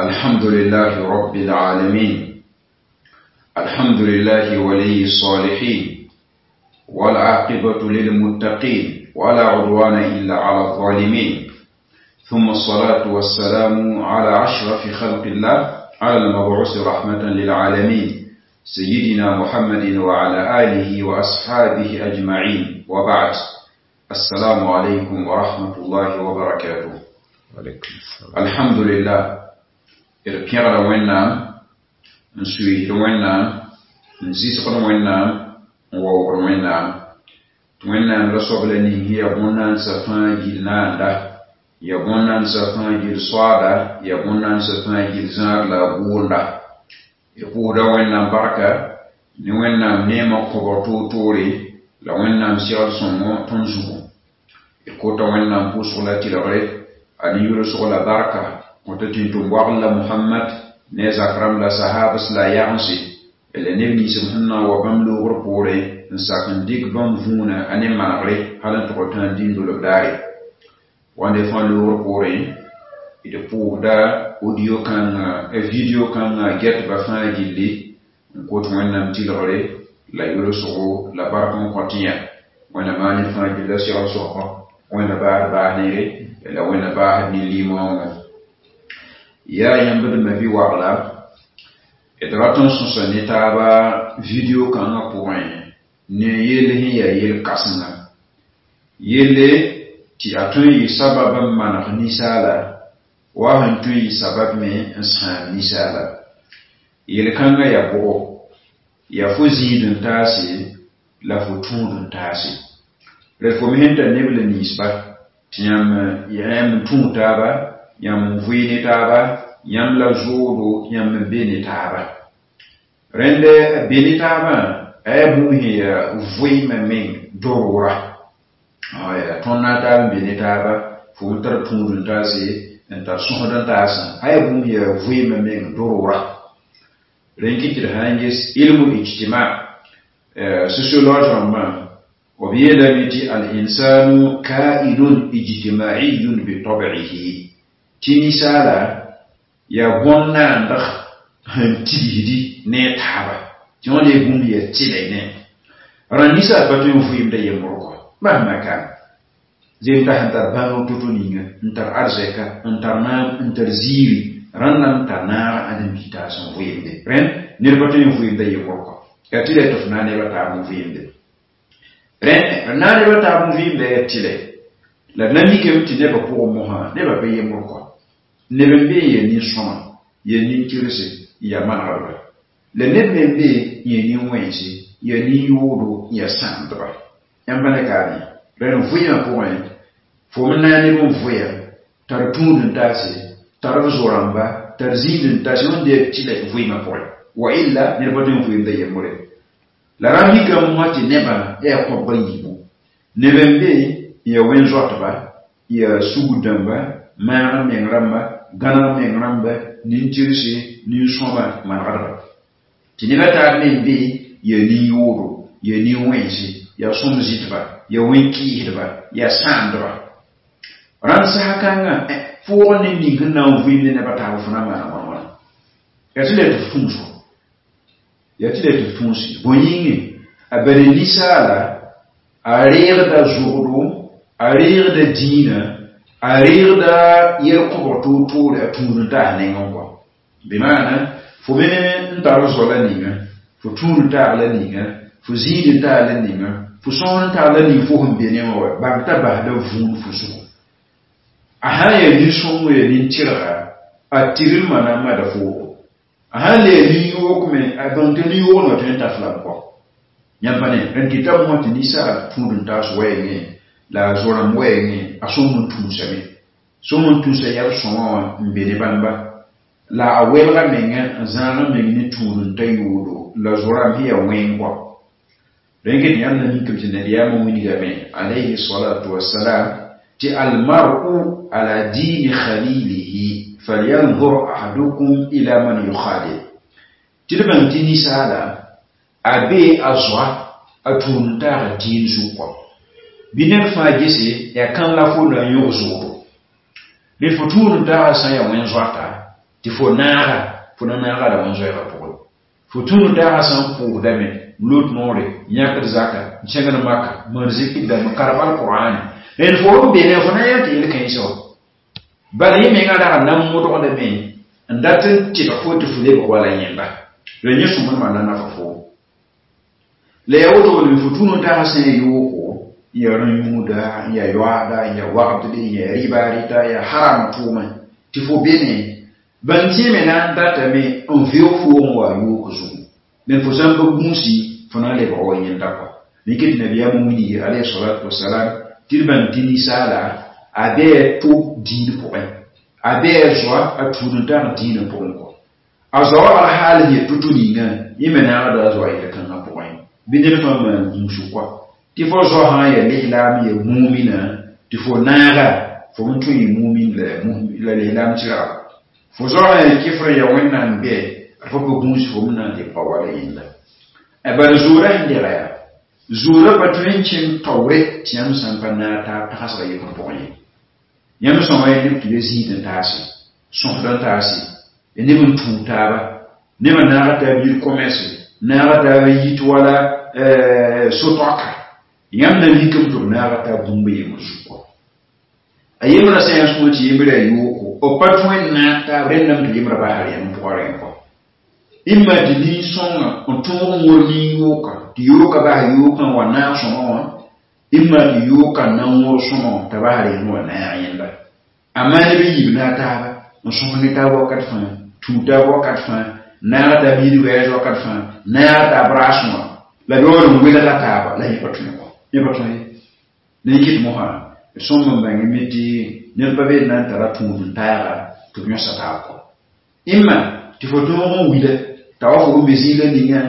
الحمد لله رب العالمين، الحمد لله ولي الصالحين، والعاقبة للمتقين، ولا عدوان إلا على الظالمين، ثم الصلاة والسلام على أشرف خلق الله، على المبعوث رحمة للعالمين، سيدنا محمد وعلى آله وأصحابه أجمعين، وبعد. السلام عليكم ورحمة الله وبركاته. وعليكم السلام. الحمد لله، d pẽgda Wẽnnaam, n suiisd Wẽnnaam, n zɩsgd Wẽnnaam, n waoogd Wẽnnaam tɩ Wẽnnaam la soab la ning sẽn yaa bõn-naandsã fãa gill naanda, yaa bõn-naandsã fãa gill soaada, yaa bõn-naandsã fãa gill zãad la a gʋʋnda. D pʋʋsda Wẽnnaam barka ne Wẽnnaam neemã kõbg toor-toore la Wẽnnaam segl sõngo tõnd zugu. D kota Wẽnnaam pʋʋsg la tɩlgre, a ne yʋlsg la barka kõta tĩn-tʋm wagl la Mohamad ne a zak rãmb la sahabs la a yagense la neb nins b sẽn na n wa bãmb loogr poorẽ n sak n dɩk bãmb vũuna a ne manegre hal n tʋg tãa dĩndolb daare. Wãnde fãa loogr poorẽ, d pʋʋsda audio kãngã, video kãngã gɛtba fãa gilli n kot Wẽnnaam tɩlgre la yʋlsgo la bark n kõt yã. Wẽnna maan ned fãa gilla segl sõsgo, Wẽnna baasd baas neere la Wẽnna baasd nin-liimoongẽ. Yaa yãmb d ma bi-wagla, d rat n sõsa ne taaba video kãngã pʋgẽ ne yell sẽn yaa yel-kãsenga. Yelle tɩ a tõe n yɩ sabab n maneg ninsaala, wa sẽn tõe n yɩ sabab me n sãam ninsaala. Yel-kãngã yaa bʋgo, yaa fo zĩid n taase la fo tũud n taase. Rẽd fo me sẽn tar neb la ninsba tɩ yãmb n tũud taaba, yãmb n vʋɩ ne taaba, yãmb la zoodo, yãmb n be ne taaba. Rẽnd be ne taabã, a yaa bũmb sẽn yaa vɩɩmã meng dorora. Yaa tõnd na n taab n be ne taaba, fo n tar tũud n taase, n tar sõsd n taasã, a yaa bũmb sẽn yaa vɩɩmã meng dorora. Rẽn kɩt tɩ d sã n ges ilmu ijtima, sociologue rãmbã, b yeelame tɩ al-insanu kainun ijtimaiyun bi tabi'ihi, tɩ ninsaala yaa bõn-naandg sẽn tigsdi ne a taaba, tɩ wã lee bũmb yaa tɩlɛ ne. Rãnd ninsaal pa tõe n vɩɩmda yembr kɔ, mahma kan. Zem t'a sẽn tar bãngr to-to ninga, n tar arzɛka, n tar naam, n tar ziiri, rãnd na n tar naag ãdem-biig taas n vɩɩmde. Rẽnd ned pa tõe n vɩɩmda yembr kɔ. Yaa tɩlɛ tɩ f na n neba taab n vɩɩmde. Rẽnd na n neba taab n vɩɩmda yaa tɩlɛ. La d na mikame tɩ nebã pʋgẽ mosã, nebã pa yembr kɔ. Neb n be n yaa nin-sõma, yaa nin-kɩrse, n yaa manegdba. La neb me n be n yaa nin-wẽnse, yaa nin-yoodo, n yaa sãamdba. Yãmb pa ne kaame. Rẽnd vɩɩmã pʋgẽ, fo me na n neb n vʋya, tar tũud n taase, tar b zo-rãmba, tar zĩid n taase, wẽnde yaa tɩlɛ vɩɩmã pʋgẽ. Wa illa, ned pa tõe n vɩɩmda yembre. La rãmb mikame mosã tɩ nebã yaa kõbg a yiibu. Neb n be n yaa wẽn-zoatba, n yaa sugr dãmba, maag n meng rãmba, gãneg meng rãmba, nin-tɩrse, nin-sõma, manegdba. Tɩ neb a taab me n be yaa nin-yoodo, yaa nin-wẽnse, yaa sõm-zɩtba, yaa wẽn-kɩɩsdba, yaa sãamdba. Rãnd sasa kãngã, fʋʋg ne ning sẽn na n vɩɩm ne neb a taab fo na maana wãn-wãna. Yaa tɩ la tɩ f tũuso. Yaa tɩ la tɩ f tũusi. Bõe yĩnge, a bala ninsaala, a reegda zʋgdo, a reegda dĩinã, a reegda yɛl-kõbg toor-toore a tũud n taas nengẽ kɔ. Bɩ maana, fo me n tar zo la ninga, fo tũud n taag la ninga, fo zĩid n taag la ninga, fo sõs n taag la ning fo sẽn be ne wã wa, bãng t'a basda vũun fo zugu. A sã n yaa nin-sõngo yaa nin-tɩrga, a tɩrlmã na n mada foogo. A sã n le yaa nin-yoog me, a bãng tɩ nin-yoog wã tõe n ta f lame kɔ. Yãmb pa ne, rẽnd kɩtame wã tɩ ninsaal tũud n taas wɛɛngẽ, la a zo-rãmb wɛɛngẽ, a sõm n tũusame. Sõm n tũusa yɛl sõma wã n be ne bãmba. La a welga menga n zãag n meng ne tũud n ta yoodo la zo-rãmb sẽn yaa wẽng kɔ. Rẽn ket yãmb na mikame tɩ nabiyaamã wilgame, alayhi salatu wassalam, tɩ almar'u ala dini khalilihi falyanzur ahadukum ila man yukhalil. Tɩ d bãng tɩ ninsaala a be a zoa a tũud n taag dĩin zug kɔ. Bɩ ned fãa gese yaa kãn la fo na n yõg zoodo. Ned fo tũud n taagã sã n yaa wẽn-zoata, Tɩ fo naaga fo na naaga la wẽn-zoɛɛgã pʋgẽ fo tũud taagã sã n pʋʋsdame n lot noore n yãkd zaka n kẽngd maka maan zikr dãmb karem alqur'ane rẽnd fo n be ne fo na yã tɩ yel-kãensã wã bala yẽ menga rag n na n modgdame n dat n tɩdg fo tɩ fo lebg wala yẽnda la yẽ sõmd maana nafa foom la yaa woto me fo tũud n taagã sã n yoogo n yaa rã-yũuda n yaa yoaada n yaa wagdde n yaa rɩba rɩta n yaa haram tʋʋmẽ tɩ fo be ne bãn tẽeme na n datame n veoog foog n wa yoog zugu ned fo sã n pa gũusi fo na n lebg wa yẽnda kɔ rɩk tɩ nabiyaam wilgi alayhi salatu wasalam tɩ d bãng tɩ ninsaala a bɩ to dĩin pʋgẽ a bɩ a zoa a tũud n tag dĩinã pʋgẽ kɔ a zoa wagl haal n yet to-to ninga yẽ me naagda a zoa yel-kãngã pʋgẽ bɩ ned fãa maan gũusg kɔa tɩ fo zoa sã n yaa lislaam ya mumina tɩ fo naaga fo n tõe n mumin la lislaam tɩrga fo zoa sã n yaa kɩfr ya wẽnnaam bɛ d fo pa gũus fo m na n lebga wala yẽnda bala zoorã sẽn dega yaa zoorã pa tõe n kẽng taoore tɩ yãmb sã n pa naag taab tagsga yembr pʋgẽ ye yãmb sõma ya neb tɩ be zĩig n taase sõsd n taase ya neb n tũud taaba nebã naaga taab yir commerce naaga taab yit wala so-toaka yãmb na mikame tɩ b naaga taab bũmb yembr zug kɔ a yembrã sã n yaa sõma tɩ yembrã yaa yooko b pa tõe n naag taab rẽndame tɩ yembrã basr yãmb pʋgã rẽ kɔ imma tɩ nin-sõngã n tõog n wor nin-yooka tɩ yooka bas yookã n wa naag sõma wã imma tɩ yooka n na n wõr sõma wã t'a basr yẽnd wa naag yẽnda amaa neb n yib naag taaba n sõs ne taab wakat fãa tũud taab wakat fãa naag taab yid wɛɛs wakat fãa naag taab raasẽ wã la b yaool n welga taaba la yẽ pa tõe kɔ yẽ pa tõe ye la yẽ kɩt mosã d sõm n bãngame tɩ ned pa be n na n tara tũud n taaga tɩ b yõsa taab kɔ imma tɩ fo tõog n wila t'a wa fo n be zĩig la ninga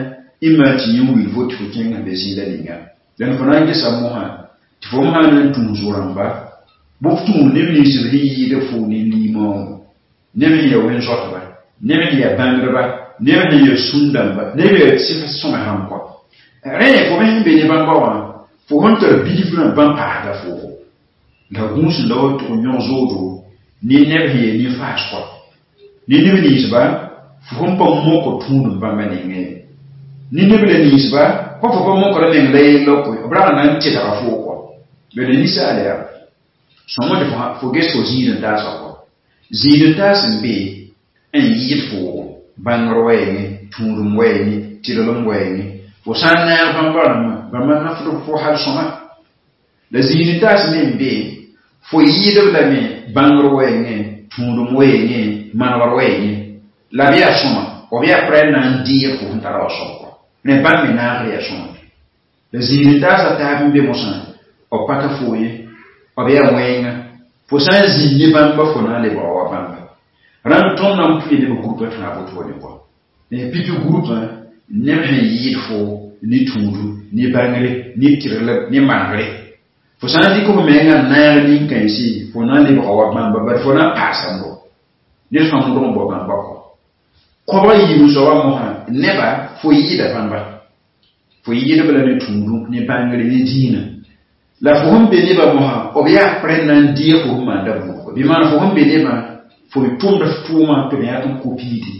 imma tɩ yẽ n wil fo tɩ fo kẽng n be zĩig la ninga dẽn fo na n gesa mosã tɩ fo m sã na n tũus rãmba bʋ f tũud neb nins b sẽn yɩɩd fo ne limaoogo neb sẽn yaa wẽn-zoatba neb sẽn yaa bãngdba neb sẽn yaa sũn-dãmba neb yaa sɩf sõme sãm kɔ rẽ fo me sẽn be ne bãmba wã fo sẽn tar bilfrã bãmb paasda foogo la gũus n la wa tʋg n yõg zoodo ne neb sẽn yaa nin-faas kɔ ne neb ninsba fo sẽn pa mok tũud n bãmba nengẽ ne neb la ninsba kõ fo pa mokra meng la yella koe b rag na n tɩdga foo kɔ bala ninsaal yaa sõma tɩ fo ges fo zĩig n taasã kɔ zĩig n taas n be n yɩɩd foogo bãngr wɛɛngẽ tũudem wɛɛngẽ tɩrlem wɛɛngẽ fo sã n naag bãmba rãmbã bãmba nafd fo hal sõma la zĩig n taas me n be fo yɩɩdb lame bãngr wɛɛngẽ tũudem wɛɛngẽ manegr wɛɛngẽ la b yaa sõma b yaa prɛ na n deeg fo sẽn tara wa soab kɔ rẽ bãmb me naagr yaa sõma la zĩig n taasã taab n be mosã b pata foo ye b yaa wẽnga fo sã n zĩnd ne bãmba fo na n lebga wa bãmba rãmb tõnd na n pʋɩ neb groupa tãa wotone kɔ pipi groupã neb sẽn yɩɩd fo ne tũudu ne bãngre ne tɩrlb ne manegre fo sã n dɩk f menga n naag nin-kãensi fo na n lebga wa bãmba bari fo na n paasa mo ned fãa modg n bao bãmba kɔ kobg yiib soaba mosã neba fo yɩɩda bãmba fo yɩɩdb la ne tũudu ne bãngre ne dĩinã la fo sẽn be nebã mosã b yaa prẽ na n deeg fo sẽn maanda buudgo bɩ maan fo sẽn be nebã fo tʋmd f tʋʋmã tɩ b yãk n kopiidi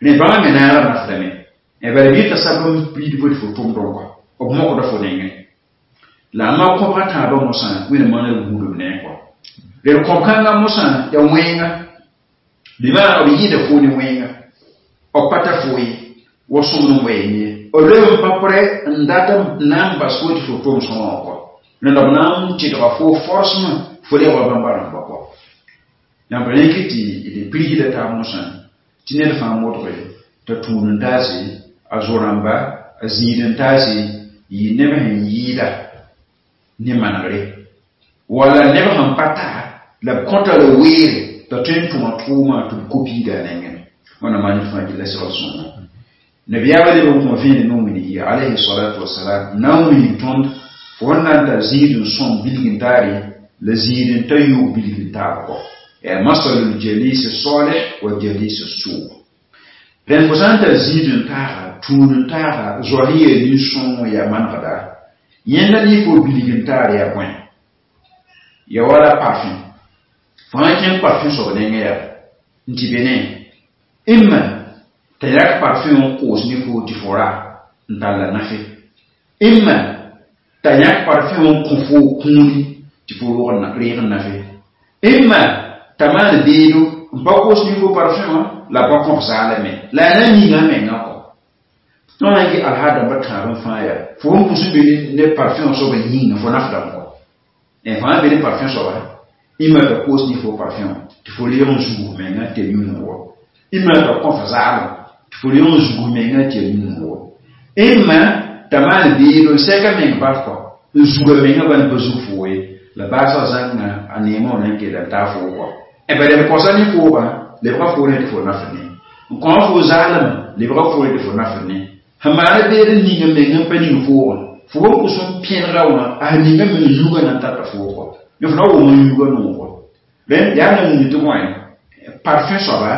rẽ bãmba me naagr nafdame bala bɩ t'a sab n piid fo tɩ fo tʋmdẽ kɔ b mokda fo nengẽ la a ma kõbga tãabã mosã wẽnd maana gũudb ne kɔ d kõb-kãngã mosã yaa wẽnga bɩ maan b yɩɩda fo ne wẽnga b pa ta fo ye wa sõmd n wɛɛn ye b leb n pa prɛ n dat n na n bas fo tɩ fo tʋm sõma wã kɔ rẽnda b na n tɩdga fo forcement fo lebga bãmba rãmba kɔ yãmb rẽk tɩ d pirgda taab mosã tɩ ned fãa modge t'a tũud n taase a zo-rãmba a zĩig n taase yɩ neb sẽn yɩɩda ne manegre wala neb sẽn pa ta la b kõta la weere t'a tõe n tʋma tʋʋmã tɩ b kopiida a nengẽ wãna maan fãa gilla segl sõnga nabiyaamã leb n kõ vẽenem n wilg alayhi salatu wasalam na n wilg tõnd fo sẽn na n tar zĩig n sõm bilg n taare la zĩig n ta yoog bilg n taab kɔ yaa masalul jalisi salih wa jalisi suu rẽnd fo sã n tar zĩig n taaga tũud n taaga zoa sẽn yaa nin-sõng yaa manegda yẽnda ne fo bilg n taar yaa bõe ya wala parfum fo sã n kẽng parfum soab nengẽ yaa n tɩ be ne Imma t'a yak parfum n koos ne foo tɩ fo ra n tall nafe. Imma t'a yãk parfum n kõ foo kũuni tɩ fo reeg n nafe. Imma t'a maan beedo n pa koos ne fo parfum wã la pa kõf zaalame la a na n ninga a menga kɔ. Tõnd na n gɩ alhaad dãmbã tãab n fãa yaa fo sẽn pʋs n be ne parfum soabã yĩnga fo nafdame kɔ. Fãa be ne parfum soaba imma t'a koos ne fo parfum tɩ fo reeg n zug menga tɩ ya yũnu wa. Imma t'a kõf zaalem tɩ fo reeg n zug menga tɩ ya yũnu wa. Imma t'a maan beedo n sɛka meng bat kɔ n zuga menga bãn pa zug foo ye la baasg zãnga a neemã wã na n kell n taa foo kɔ. Bala b kõsa ne foogã lebga foore tɩ fo nafd ne. N kõ fo zaalem lebga foore tɩ fo nafd ne. Sẽn maana beed n ninga meng n pa ning foogã fo sẽn pʋs n pẽnega wã a sẽn ninga meng yugã na n tata foog kɔ. Fo na wʋm n yugã noog. Rẽnd yaa na wĩnd tɩ bõe parfum soaba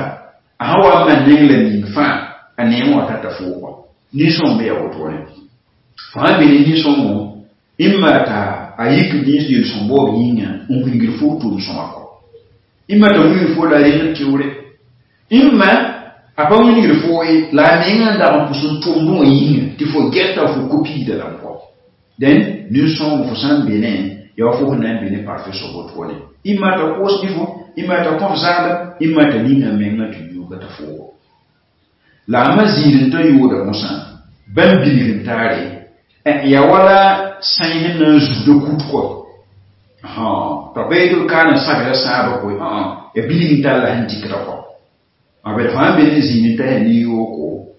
a sẽn wa n maan neng la ning fãa a neemã wã tata foog kɔ. Nin-sõng me yaa wotone. Fo sãn be ne nin-sõngo imma t'a a yik nins yel-sõm baoob yĩnga n wilgd fo tʋʋm sõma kɔ. Imma t'a wilg fo la reng tɩʋre. Imma a pa wilgd fo ye la a menga n dag n pʋs n tʋmdẽ wã yĩnga tɩ fo gɛta fo kopiida lame kɔ. Dẽn nin-sõngo fo sã n be ne yaa wa fo sẽn na n be ne parfum soab wotone. Imma t'a koos ne fo, imma t'a kõf zaalem, imma t'a ninga menga tɩ yuuga t'a foogo. La a ma zĩig n ta yooda mosã bãmb bilg n taare yaa wala sãy sẽn na n zugda kut kɔ. T'a bɩ tɩ b ka n sabda sãabã koe yaa bilg n tall la sẽn dɩkda kɔ. Bad fãa be ne zĩig n ta yaa ne-yooko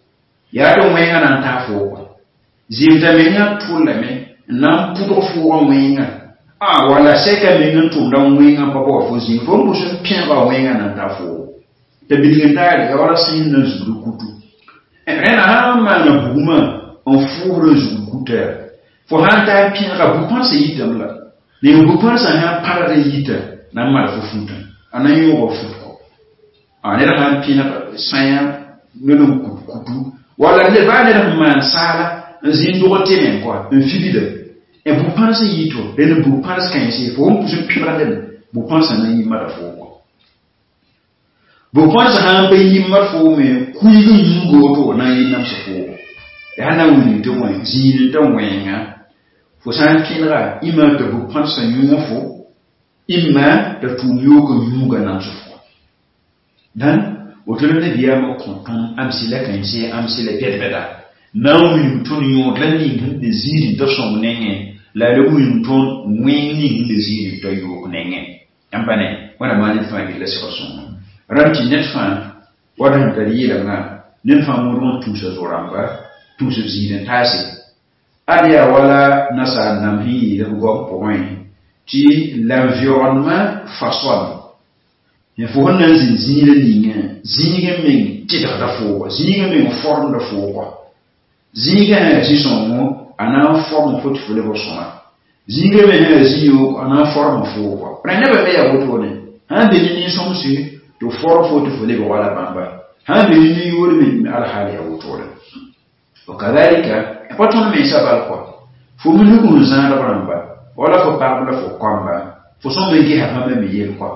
yaa tɩ wẽngã na n taa foo kɔ. Zɩɩm t'a menga tʋllame n na n pʋdg foogã wẽngã wala sɛka meng n tʋmda wẽngã pa bao fo zĩig fo n pʋs n pẽega wẽngã na n taa foogo. T'a bilg n taare yaa wala sẽn na n zugd kutu. Rẽna sã n maana bugmã n fʋʋsd n zugd kuta yaa fo sã n taa n pẽega bu-pãnsã yitame la ne bu-pãnsã sã n pãrd n yita na n maan fo futã a na n yõoga fut kɔ. Ned sã n pẽneg sãyã ned n kut kutu wala ned baa ned sẽn maan saala n zĩ n dog tɩ meng kɔ n figda bu-pãns n yito rẽnd bu-pãns kãense fo n pʋs n pẽbra ned bu-pãnsã na n yɩ mada foo kɔ. Bu-pãnsã sã n pa yɩ mad foo me kuig n yũuga woto na n yɩ namsg foogo. Yaa na n wilg tɩ bõe zĩig n ta wẽnga fo sã n kẽnega imma t'a bu-pãnsã yũug fo imma t'a tʋʋm yook n yũuga namsg fo. Dãn woto la nabiyaamã kõ tõnd amsi la kãense amsi la bɛd-bɛda na n wilg tõnd yõod la ning sẽn be zĩig n ta sõng nengẽ la a le wilg tõnd wẽng ning sẽn be zĩig n ta yook nengẽ. Yãmb pa ne wẽnnaam maan ned fãa gilla segr sõngo. Rãmb tɩ ned fãa wa sẽn tar yeelemgã ned fãa modg n tuusa zo-rãmba tuus b zĩig n taase. Ad yaa wala nasaar nam sẽn yeel b goam pʋgẽ tɩ l'environnement façonne. Fo sẽn na n zĩnd zĩigrã ningã zĩig n meng tɩdgda foogɔ zĩig n meng formda foogɔ. Zĩigã sã yaa zĩ-sõngo a na n form fo tɩ fo lebg sõma. Zĩigã me sã yaa zĩ-yoog a na n form foogɔ. Rẽ nebã me yaa wotone sã n be ne nin-sõmse tɩ form fo tɩ fo lebg wala bãmba sã n be ne nin-yood me alhaal yaa wotone. Wakadhalika pa tõnd mensã bal kɔ fo me nug n zãadb rãmba wala fo pagb la fo kɔmba fo sõm n gesa bãmba me yel kɔ.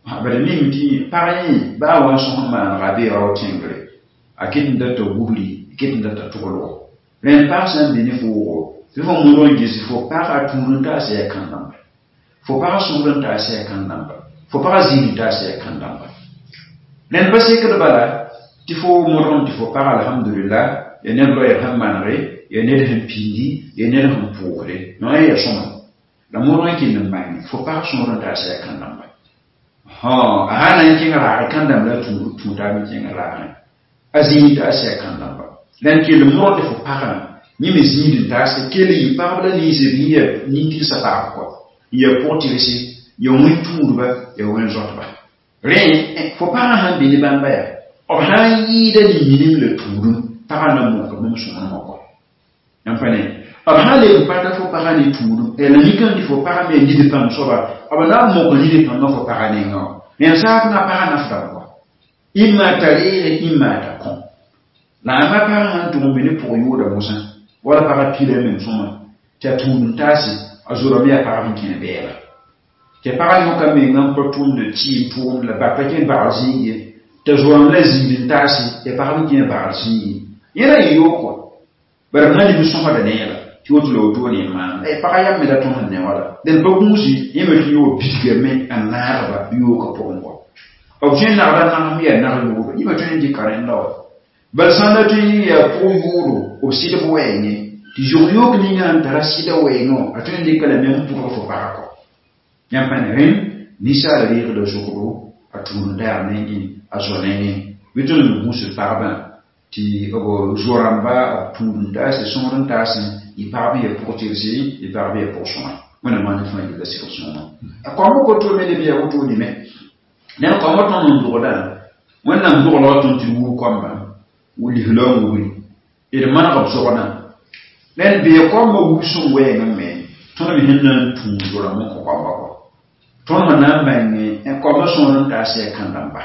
Bala ning tɩ pag yẽ baa wa n sõs n maanega bee rao tẽngre a ket n data wubri ket n data tʋglgo. Rẽnd pag sã n be ne foogo tɩ fo modg n ges fo pag a tũud n taas yaa kãn-dãmba fo pag sõsd n taas yaa kãn-dãmba fo pag zĩig n taas yaa kãn-dãmba. Rẽnd pa sekd bala tɩ fo modg tɩ fo pag alhamdulillah ya ned loɛɛg sẽn manege ya ned sẽn pĩndi ya ned sẽn pʋʋsde no yaa sõma la modg n kell n maane fo pag sõsd n taas yaa kãn-dãmba. A sã na n kẽng raagẽ kãn-dãmb la tũutaab n kẽng raagẽ a zĩig taas yaa kãn-dãmba. La n kell modg tɩ fo pagã yẽ me zĩig n taase kell yɩ pagb la ninsb yẽ yaa nin-tɩgsã pagb kɔ n yaa pʋg-tɩgse ya wẽn-tũudba ya wẽn-zoatba. Rẽ fo pagã sãn be ne bãmba yaa b sã n yɩɩda ne minim la tũudum pagã na mok bãmb sõmdmã kɔ. Yãmb pa ne b sã n leb n pata fo pagã ne tũudum la mikame tɩ fo pagã me nid pãmb soaba b na n mok nid pãmbã fo pagã nengã wã. Rẽnd saak na pagã nafdame kɔ. Imma t'a reege imma t'a kõ. La a ma pagã sãn tʋg n be ne pʋg yooda mosã wala pagã pila meng sõma tɩ a tũud n taase a zorame yaa pagb n kẽne bɛɛba. Tɩ pagã yõka menga n pa tʋmd tɩɩm tʋʋmd la bak pa kẽ bag zĩig ye T'a zoam la zĩig n taase ya pagb kẽ bagr zĩigi yẽ ra yɩ yoog kɔa bara b na lib sõsda neera tɩ woto la wotone n maan pagã yam me la tõs n ne wala dẽn pa gũusi yẽ me tɩ yoog bidgame n naagba yoogã pʋgẽ kɔ b tõe n nagda nagsem yaa nag yoodo yẽ me tõe n dɩka rẽnda wa bal sã n la tõe n yaa pʋg yoodo b sɩdb wɛɛngẽ tɩ zʋg yook ninga n tara sɩda wɛɛngẽ wã a tõe n dɩka lame n pʋgg fo pagã kɔ yãmb pa ne rẽnd ninsaal reegda zʋgdo a tũud n taag nengẽ a zo nengẽ bɩ tõnd n gũusd pagbã tɩ b zo-rãmba b tũud n taase sõor n taasẽ yɩ pagb n ya pʋg-tɩrse yɩ pagb ya pʋg-sõma wẽnnaam maan fãa yella sɩg sõma a koamba koto me leb yaa wotone me ned koamba tõnd n dogdã wẽnnaam doglga tõnd tɩ d wub koamba lisla n wubri d maneg b zogdã ned bee koamba wub sõm wɛɛngẽ me tõnd me sẽn na n tũu zo-rãmb n kõ koamba kɔ tõnd sẽn na n bãnge koamba sõor n taas yaa kãn-dãmba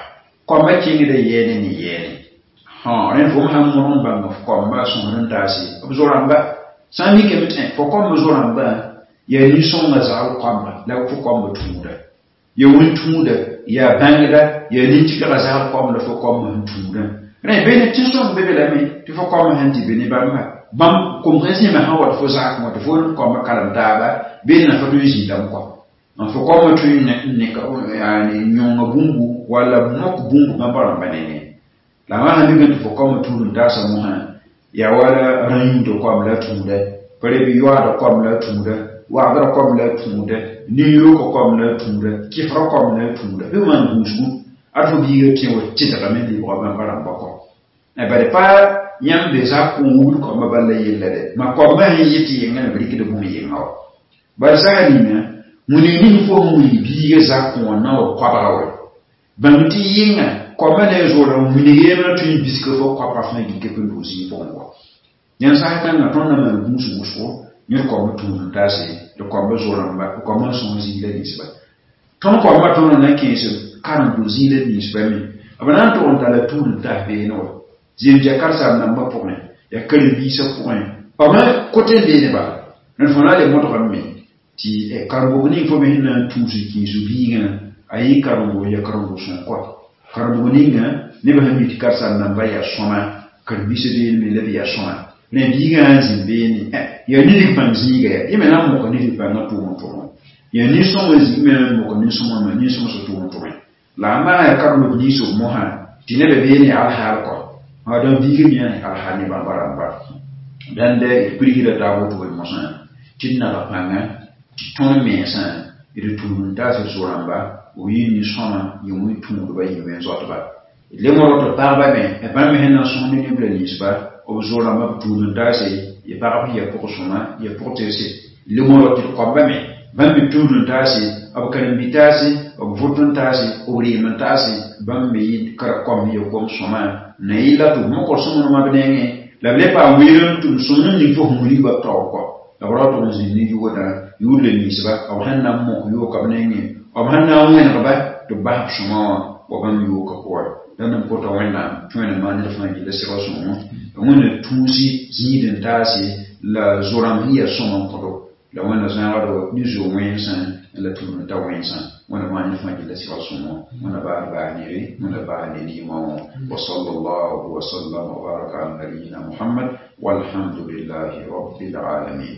koamba kẽngda yɛɛne ne yɛɛne rẽnd fo sãn mõrg n bãng f koamba sõsd n taase b zo-rãmba sã n mikame tɩ fo koamba zo-rãmbã yaa nin-sõngã zagl koamba la fo koamba tũuda ya wẽn-tũuda yaa bãngda yaa nin-tɩkga zagl koam la fo koamba sẽn tũudã rẽ beene tẽn-sõng be be lame tɩ fo koamba sẽn tɩ be ne bãmba bãmb komsã zĩma sã wa tɩ fo zak wã tɩ fo koamba karem taaba beene na fo tõe n zĩndame kɔ n fo koamba tõe n yõnga bũmbu walla mok bũmb bãmba rãmba nengẽ la wã sã mikame tɩ fo koamba tũud n taasa mosã yaa wala rã-yũudã koam la tũuda pa re bɩ yoaadã koam la tũuda wagdrã koam la tũuda nin-yookã koam la tũuda kɩfrã koam la tũuda bɩ maan gũusgu ad fo biigã tẽ wa tɩdgame lebga bãmba rãmba kɔ bari pa yãmb be zak n wubd koamba bal la yella dɛ ma koamba sẽn yɩ tɩ yengã la b rɩkd bũmb yenga wa bala sasa ninga wĩnig ning fo sẽn wilg biigã zakẽ wã na wa koabga wɛ bãmb tɩ yɩnga koamba ne a zoora winig yembrã tõe n bisga fo koabga fãa gikep n doog zĩig pʋgẽ kɔ yãmb sã kãngã tõnd na maan gũus wʋsgo yẽ koamba tũud n taase d koamba zo-rãmba d koamba n sõs zĩig la ninsba tõnd koamba tõnd na kẽes karem do zĩig la ninsba me b na n tʋg n tara tũud n tas beene wa zem tɩ yaa karen-saam-dãmbã pʋgẽ yaa karen-biisã pʋgẽ b me kote n beene bala ned fõ na n le modgame me tɩ karen-bog ning fo me sẽn na n tũus n kẽes biigã a yɩ karen-bog yaa karen-bog sõng kɔa karen-bog ninga nebã sẽn mi tɩ karen-saam-dãmbã yaa sõma karen-biisã beene me la b yaa sõma rẽ biigã sã n zĩnd beene yaa nidg pãng zĩiga yaa yẽ me na n moka nidg pãngã tʋʋm n tʋmẽ yaa nin-sõmã zĩig me na n moka nin-sõmã nin-sõmsã tʋʋm n tʋmẽ la a maa yaa karem b niis b mosã tɩ nebã beene yaa alhaal kɔ dãn biigã me yaa alhaal ne bãmba rãmba dãnd d pirgsda taab woto b mosã tɩ d naga pãnga tɩ tõnd mensã d tũud n taas d zo-rãmba b yɩ nin-sõma yɩ wẽn-tũudba yɩ wẽn-zoatba d le modg tɩ pagba me bãmb me sẽn na n sõs ne neb la ninsba b zo-rãmba b tũud n taase yɩ pagb sẽn yaa pʋg-sõma yaa pʋg-tɩrse le modg tɩ d koamba me bãmb me tũud n taase b karen-bi-taase b vʋt n taase b reem n taase bãmb me yɩ kom sẽn yaa kom-sõma na yɩla tɩ b mokd sõmblmã b nengẽ la b le paam weer n tʋm sõmblem ning fo sẽn wilgba b taoor kɔ la b ra tʋg n zĩnd ne yʋgdã yʋʋd la ninsba b sẽn na n mok yooka b nengẽ b sẽn na n wẽnegba tɩ b bas b sõma wã wa bãmb yooka pʋgẽ la n pʋta wẽnnaam tɩ wẽnnaam maan ned fãa yella sɩga sõngo wẽnna tũusi zĩig n taase la zo-rãmb sẽn yaa sõma n kõdo la wẽnna zãagdo ne zo wẽnsã la tũud n ta wẽnsã wẽnna maan ned fãa yella sɩga sõngo wẽnna baas baas nere wẽnna baas ne rɩɩmã wã wa sallallahu wa sallam wa baraka ala nabiyina muhammad walhamdulillahi rabbil alamin.